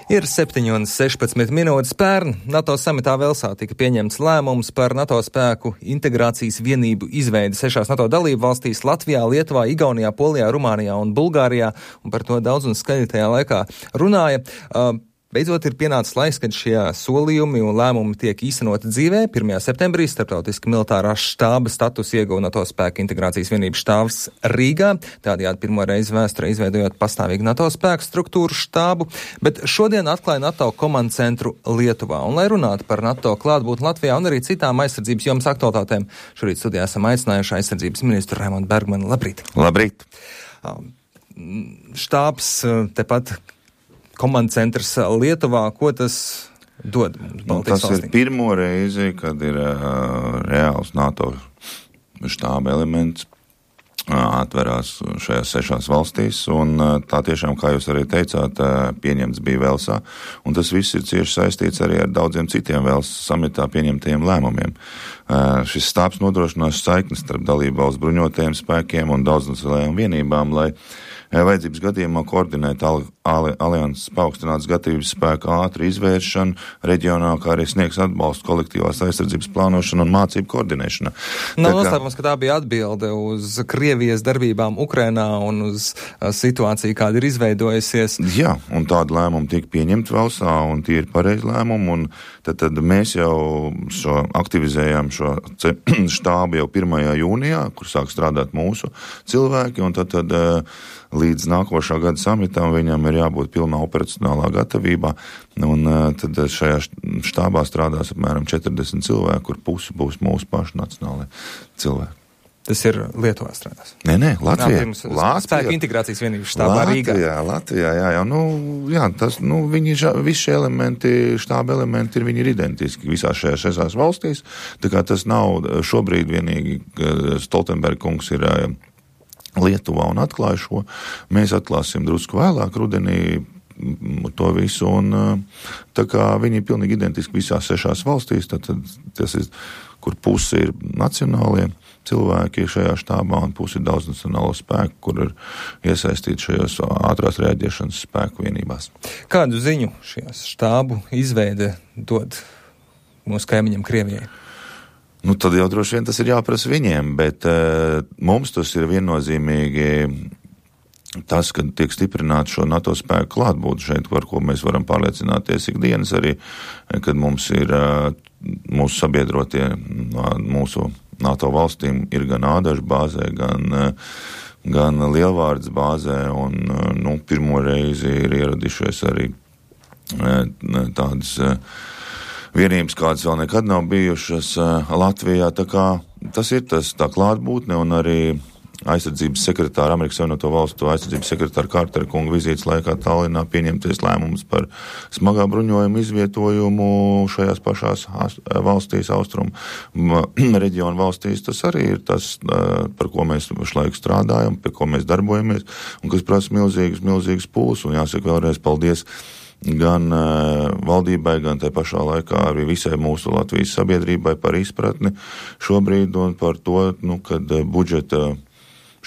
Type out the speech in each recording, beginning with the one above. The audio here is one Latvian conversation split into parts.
Ir 7:16 minūtes. Pērn NATO samitā Velsā tika pieņemts lēmums par NATO spēku integrācijas vienību izveidi 6 NATO dalību valstīs - Latvijā, Lietuvā, Igaunijā, Polijā, Rumānijā un Bulgārijā, un par to daudz un skaļi tajā laikā runāja. Beidzot ir pienācis laiks, kad šie solījumi un lēmumi tiek īstenoti dzīvē. 1. septembrī starptautiski militārā štāba status ieguva NATO spēku integrācijas vienības štābs Rīgā, tādējādi pirmo reizi vēsturē izveidojot pastāvīgu NATO spēku struktūru štābu, bet šodien atklāja NATO komandu centru Lietuvā. Un, lai runātu par NATO klātbūtni Latvijā un arī citām aizsardzības jomas aktualitātēm, šorīt studijā esam aicinājuši aizsardzības ministru Raimondu Bergmanu. Labrīt! Labrīt! Štābs tepat komandu centrs Lietuvā, ko tas dod mums? Tas ir pirmo reizi, kad ir reāls NATO štāba elements atverās šajās 6 valstīs, un tā tiešām, kā jūs arī teicāt, pieņemts bija Velsā, un tas viss ir cieši saistīts arī ar daudziem citiem Velsas samitā pieņemtajiem lēmumiem. Šis štābs nodrošinās saiknes starp dalību valsts bruņotajiem spēkiem un daudznacionālajām vienībām, lai vajadzības gadījumā koordinēt alianses paaugstinātas gatavības spēku ātru izvēršanu reģionā, kā arī sniegs atbalstu kolektīvās aizsardzības plānošanu un mācību koordinēšanā. Nav noslēpums, ka tā bija atbilde uz Krievijas darbībām Ukrainā un uz situāciju, kāda ir izveidojusies. Jā, un tāda lēmuma tika pieņemta Velsā, un tie ir pareizi lēmumi, un tad mēs jau aktivizējām šo štābu jau 1. jūnijā, kur sāk strādāt mūsu cilvēki, un tad līdz nākošā gada samitam viņam ir jābūt pilnā operacionālā gatavībā, un tad šajā štābā strādās apmēram 40 cilvēki, kur pusi būs mūsu paši nacionālai cilvēki. Tas ir Lietuvā strādās? Nē, Latvijā. Spēku integrācijas vienības štābā Rīgā. Latvijā, visi šie elementi, štāba elementi viņi ir identiski visās šajās 6 valstīs, tā kā tas nav šobrīd vienīgi, Stoltenberga kungs ir Lietuvā un atklāja šo. Mēs atklāsim drusku vēlāk rudenī to visu, un tā kā viņi ir pilnīgi identiski visās 6 valstīs, tad tas ir, kur pusi ir nacionālie cilvēki šajā štābā un pusi ir daudznacionālo spēku, kur ir iesaistīti šajos ātrās reaģēšanas spēku vienībās. Kādu ziņu šajās štābu izveide dod mūsu kaimiņam Krievijai? Tad jau droši vien tas ir jāprasa viņiem, bet mums tas ir viennozīmīgi tas, kad tiek stiprināts šo NATO spēku klātbūt šeit, par ko mēs varam pārliecināties ikdienas arī, kad mums ir mūsu sabiedrotie mūsu NATO valstīm ir gan Ādažu bāzē, gan Lielvārdes bāzē, un pirmo reizi ir ieradušies arī tādas vienības, kādas vēl nekad nav bijušas Latvijā, tā kā tas ir tā klātbūtne, un arī aizsardzības sekretāra, Amerikas Savienoto Valstu aizsardzības sekretāra Kārtera kunga vizītes laikā Tallinā pieņemties lēmums par smagā bruņojuma izvietojumu šajās pašās valstīs, austrumu reģionu valstīs. Tas arī ir tas, par ko mēs pašlaik strādājam, pie ko mēs darbojamies, un kas prasa milzīgas pūles, un jāsaka vēlreiz paldies gan valdībai, gan tai pašā laikā arī visai mūsu Latvijas sabiedrībai par izpratni šobrīd un par to, kad budžeta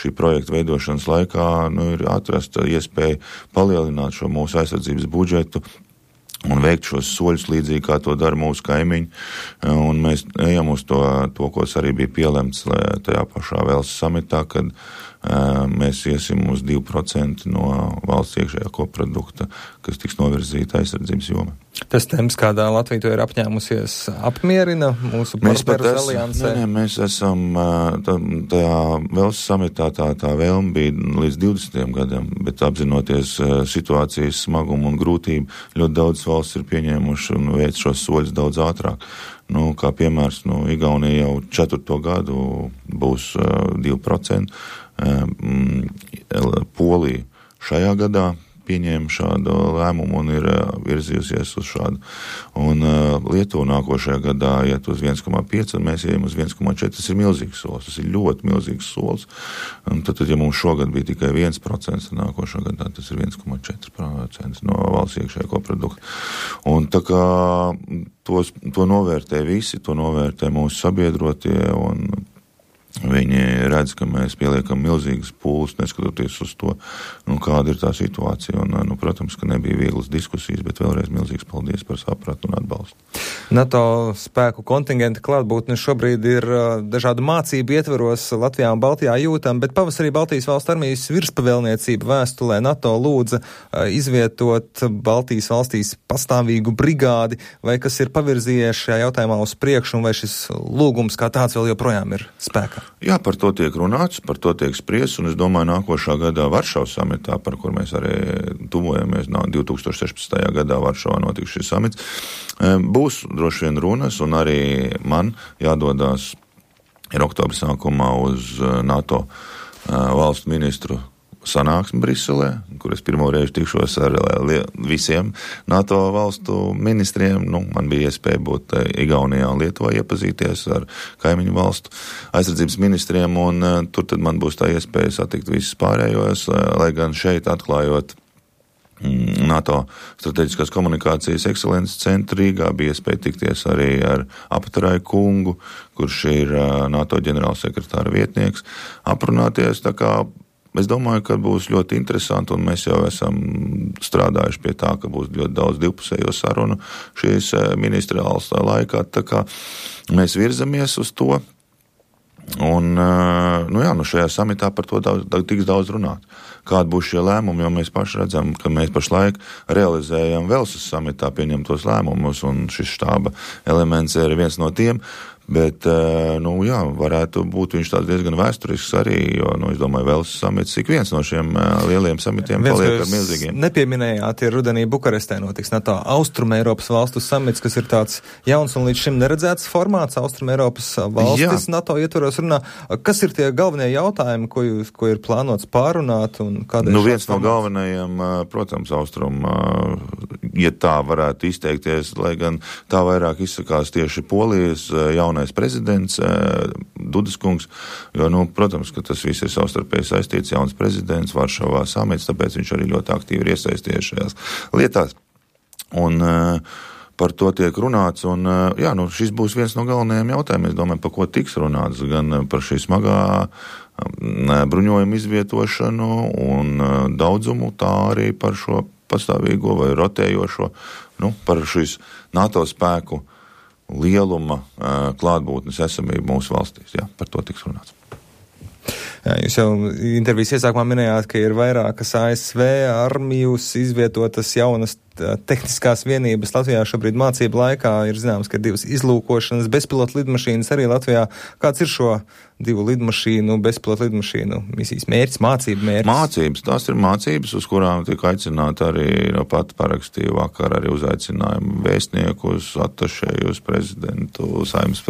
šī projekta veidošanas laikā ir atrasta iespēja palielināt šo mūsu aizsardzības budžetu un veikt šos soļus līdzīgi, kā to dara mūsu kaimiņi. Un mēs ejam uz to, kas arī bija pielemts tajā pašā Velsas samitā, kad mēs iesim uz 2% no valsts iekšējā koprodukta, kas tiks novirzīta aizsardzības jomai. Tas temps, kādā Latvija to ir apņēmusies, apmierina mūsu partnerus aliansē? Nē, mēs esam tajā Velsas samitā tā vēlme bija līdz 20. gadam, bet apzinoties situācijas smagumu un grūtību, ļoti daudz valsts ir pieņēmuši un veic šos soļus daudz ātrāk. Kā piemērs, Igaunija jau 4. gadu būs 2%, Polija šajā gadā pieņēma šādu lēmumu un ir virzījusies uz šādu. Un Lietuva nākošajā gadā iet uz 1,5 un mēs ejam uz 1,4. Tas ir milzīgs solis, tas ir ļoti milzīgs solis. Un tad, ja mums šogad bija tikai 1%, nākošā gadā tas ir 1,4% no valsts iekšējā koprodukta. Un tā kā to novērtē visi, to novērtē mūsu sabiedrotie un Viņi redz, ka mēs pieliekam milzīgas pūles, neskatoties uz to, kāda ir tā situācija. Un, protams, ka nebija vieglas diskusijas, bet vēlreiz milzīgs paldies par sapratu un atbalstu. NATO spēku kontingenta klātbūtne šobrīd ir dažādu mācību ietveros Latvijā un Baltijā jūtam, bet pavasarī Baltijas valstu armijas virspavēlniecība vēstulē NATO lūdza izvietot Baltijas valstīs pastāvīgu brigādi, vai kas ir pavirzījies šajā jautājumā uz priekšu, un vai šis lūgums kā tāds vēl joprojām ir spēkā? Jā, par to tiek runāts, par to tiek spriests, un es domāju, nākošā gadā Varšavas samitā, par kur mēs arī tuvojamies, 2016. gadā Varšavā notiks šis samits, būs droši vien runas, un arī man jādodās ir oktobra sākumā uz NATO valstu ministru sanāksmi Briselē, kur es pirmo reizi tikšos ar visiem NATO valstu ministriem. Man bija iespēja būt Igaunijā un Lietuvā, iepazīties ar kaimiņu valstu aizsardzības ministriem, un tur tad man būs tā iespēja satikt visus pārējos, lai gan šeit atklājot NATO strateģiskās komunikācijas ekscelences centru Rīgā bija iespēja tikties arī ar Apatarai kungu, kurš ir NATO ģenerālsekretāra vietnieks, aprunāties, tā kā es domāju, ka būs ļoti interesanti, un mēs jau esam strādājuši pie tā, ka būs ļoti daudz divpusējo sarunu šīs ministriālas laikā, tā kā mēs virzamies uz to, un šajā samitā par to tiks daudz runāt. Kādi būs šie lēmumi, jo mēs paši redzam, ka mēs pašlaik realizējam Velsas samitā pieņemtos lēmumus, un šis štāba elements ir viens no tiem, bet, varētu būt viņš tāds diezgan vēsturisks arī, jo, es domāju, Velsas samits, ik viens no šiem lieliem samitiem paliek ar milzīgiem. Nepieminējāt, ir rudenī Bukarestē notiks NATO Austrumeiropas valstu samits, kas ir tāds jauns un līdz šim neredzēts formāts. Austrumeiropas valstis NATO ietvaros runā. Kas ir tie galvenie jautājumi, ko ir plānots pārunāt, un kāda ir viens no galvenajiem, protams, ja tā varētu izteikties, lai gan tā vairāk izsakās tieši Polijas jaunais prezidents Dudas kungs, jo, protams, ka tas viss ir savstarpēji saistīts, jauns prezidents, Varšavā samits, tāpēc viņš arī ļoti aktīvi ir iesaistījies šajās lietās. Un par to tiek runāts, un šis būs viens no galvenajiem jautājumiem, es domāju, par ko tiks runāts, gan par šī smagā bruņojuma izvietošanu un daudzumu, tā arī par šo pastāvīgo vai rotējošo, par šīs NATO spēku lieluma klātbūtnes esamību mūsu valstīs. Jā, par to tiks runāts. Jā, jūs jau intervijas iesākumā minējāt, ka ir vairākas ASV armijas izvietotas jaunas tehniskās vienības Latvijā šobrīd mācību laikā. Ir zināms, ka ir 2 izlūkošanas bezpilotu lidmašīnas arī Latvijā. Kāds ir šo 2 lidmašīnu, bezpilotu lidmašīnu misijas mērķis, mācību mērķis? Mācības, tās ir mācības, uz kurām tiek aicināti arī, pat parakstīju vakar arī uzaicinājumu vēstniekus, atašējus, prezidentu, saimnes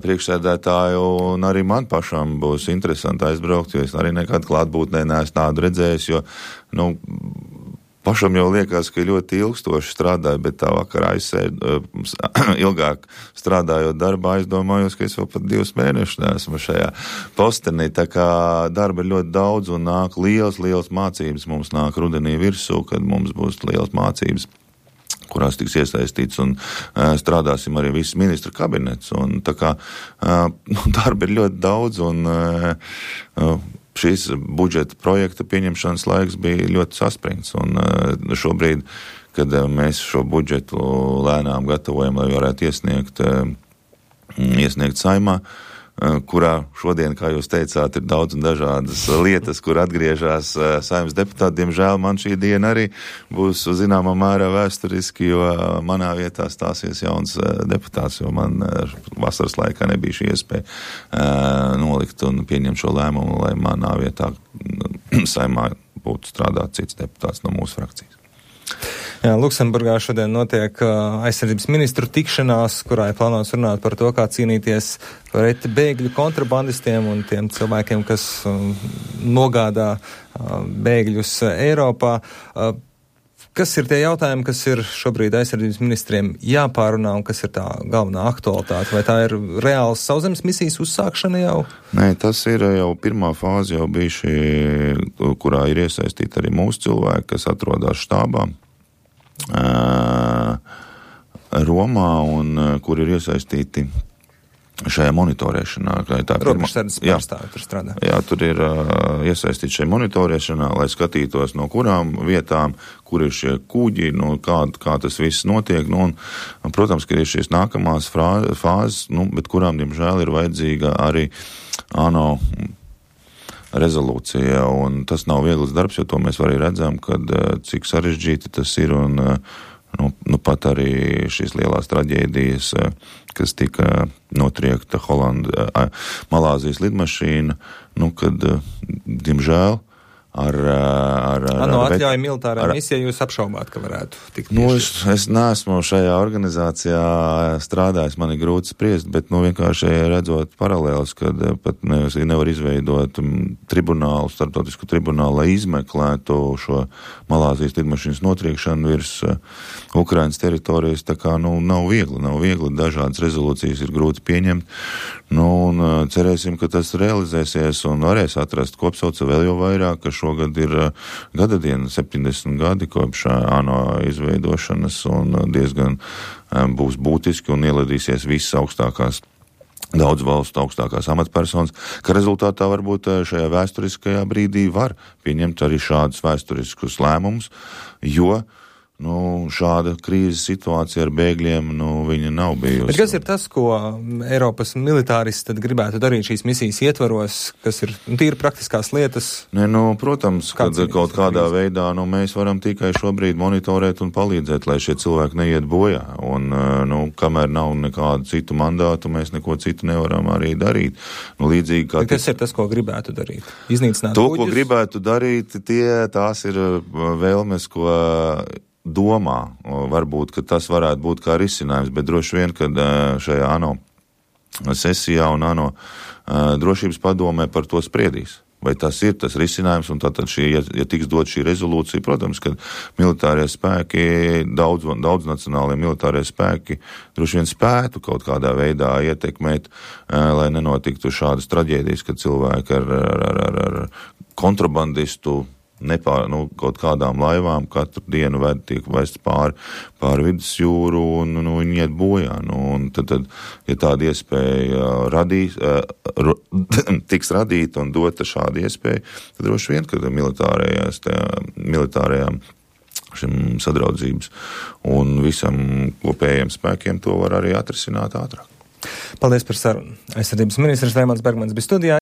priekšsēdētāju, un arī man pašam būs interesanti aizbraukt, jo es arī nekad klātbūtnē neesmu tādu redzējis, jo, pašam jau liekas, ka ļoti ilgstoši strādāju, bet tā vakarā ilgāk strādājot darbā, aizdomājos, ka es vēl pat 2 mēnešus neesmu šajā postenī. Tā kā darba ir ļoti daudz un nāk liels mācības. Mums nāk rudenī virsū, kad mums būs liels mācības, kurās tiks iesaistīts, un strādāsim arī viss ministru kabinets. Un tā kā darba ir ļoti daudz, un šīs budžeta projekta pieņemšanas laiks bija ļoti saspringts, un šobrīd, kad mēs šo budžetu lēnām gatavojam, lai varētu iesniegt Saeimā, kurā šodien, kā jūs teicāt, ir daudz un dažādas lietas, kur atgriežas Saeimas deputāti. Diemžēl man šī diena arī būs zināmā mērā vēsturiski, jo manā vietā stāsies jauns deputāts, jo man vasaras laikā nebija šī iespēja nolikt un pieņemt šo lēmumu, lai manā vietā Saeimā būtu strādāt cits deputāts no mūsu frakcijas. Jā, Luksemburgā šodien notiek aizsardzības ministru tikšanās, kurā ir plānots runāt par to, kā cīnīties pret bēgļu kontrabandistiem un tiem cilvēkiem, kas nogādā bēgļus Eiropā. Kas ir tie jautājumi, kas ir šobrīd aizsardzības ministriem jāpārunā un kas ir tā galvenā aktualitāte? Vai tā ir reāls sauszemes misijas uzsākšana jau? Nē, tas ir jau pirmā fāze jau bijuši, kurā ir iesaistīti arī mūsu cilvēki, kas atrodas štābā Romā un kur ir iesaistīti šajā monitorēšanā. Robežsardzes pārstāvi tur strādā. Jā, tur ir iesaistīti šajā monitorēšanā, lai skatītos no kurām vietām, kur ir šie kuģi, kā tas viss notiek. Un, protams, ka ir šīs nākamās fāzes, bet kurām, diemžēl, ir vajadzīga arī ANO rezolūcija, un tas nav viegls darbs, jo to mēs arī redzam, kad cik sarežģīti tas ir, un pat arī šīs lielās traģēdijas, kas tika notriekta Malāzijas lidmašīna, kad, diemžēl, atļauja militārā misija, jūs apšaubāt, ka varētu tikt piešķirt? Es neesmu šajā organizācijā strādājis, man ir grūti spriest, bet vienkārši redzot paralēlus, kad pat nevar izveidot tribunālu, starptautisku tribunālu, lai izmeklētu šo Malāzijas lidmašīnas notriekšanu virs Ukrainas teritorijas, tā kā nav viegli, dažādas rezolūcijas ir grūti pieņemt, un cerēsim, ka tas realizēsies un varēs atrast kopsauca vēl jau vairāk, ka šogad ir gada diena, 70 gadi kopš ANO izveidošanas, un diezgan būs būtiski un ieladīsies visas augstākās, daudz valstu augstākās amatpersonas, ka rezultātā varbūt šajā vēsturiskajā brīdī var pieņemt arī šādus vēsturiskus lēmumus, jo šāda krīzes situācija ar bēgļiem, viņa nav bijusi. Bet kas ir tas, ko Eiropas militāristi tad gribētu darīt šīs misijas ietvaros, kas ir tīri praktiskās lietas? Protams, kad kaut kādā veidā, mēs varam tikai šobrīd monitorēt un palīdzēt, lai šie cilvēki neiet bojā. Un, kamēr nav nekādu citu mandātu, mēs neko citu nevaram arī darīt. Līdzīgi kā... Kas ir tas, ko gribētu darīt? Iznīcināt to, kuģus? Ko gribētu darīt, tās ir vēlmes, ko domā, varbūt, ka tas varētu būt kā risinājums, bet droši vien, kad šajā ANO sesijā un ANO drošības padomē par to spriedīs. Vai tas ir tas risinājums, un tātad ja tiks dot šī rezolūcija, protams, ka militārie spēki, daudz nacionālie militārie spēki droši vien spētu kaut kādā veidā ietekmēt, lai nenotiktu šādas traģēdijas, kad cilvēki ar kontrabandistu kaut kādām laivām katru dienu tiek vests pāri vidusjūru un viņi iet bojā. Un tad, ja tāda iespēja tiks radīta un dota šāda iespēja, tad droši vien, kad militārajām šim sadraudzības un visam kopējiem spēkiem to var arī atrisināt ātrāk. Paldies par sarunu. Aizsardzības ministrs Raimons Bergmanis bija studijā.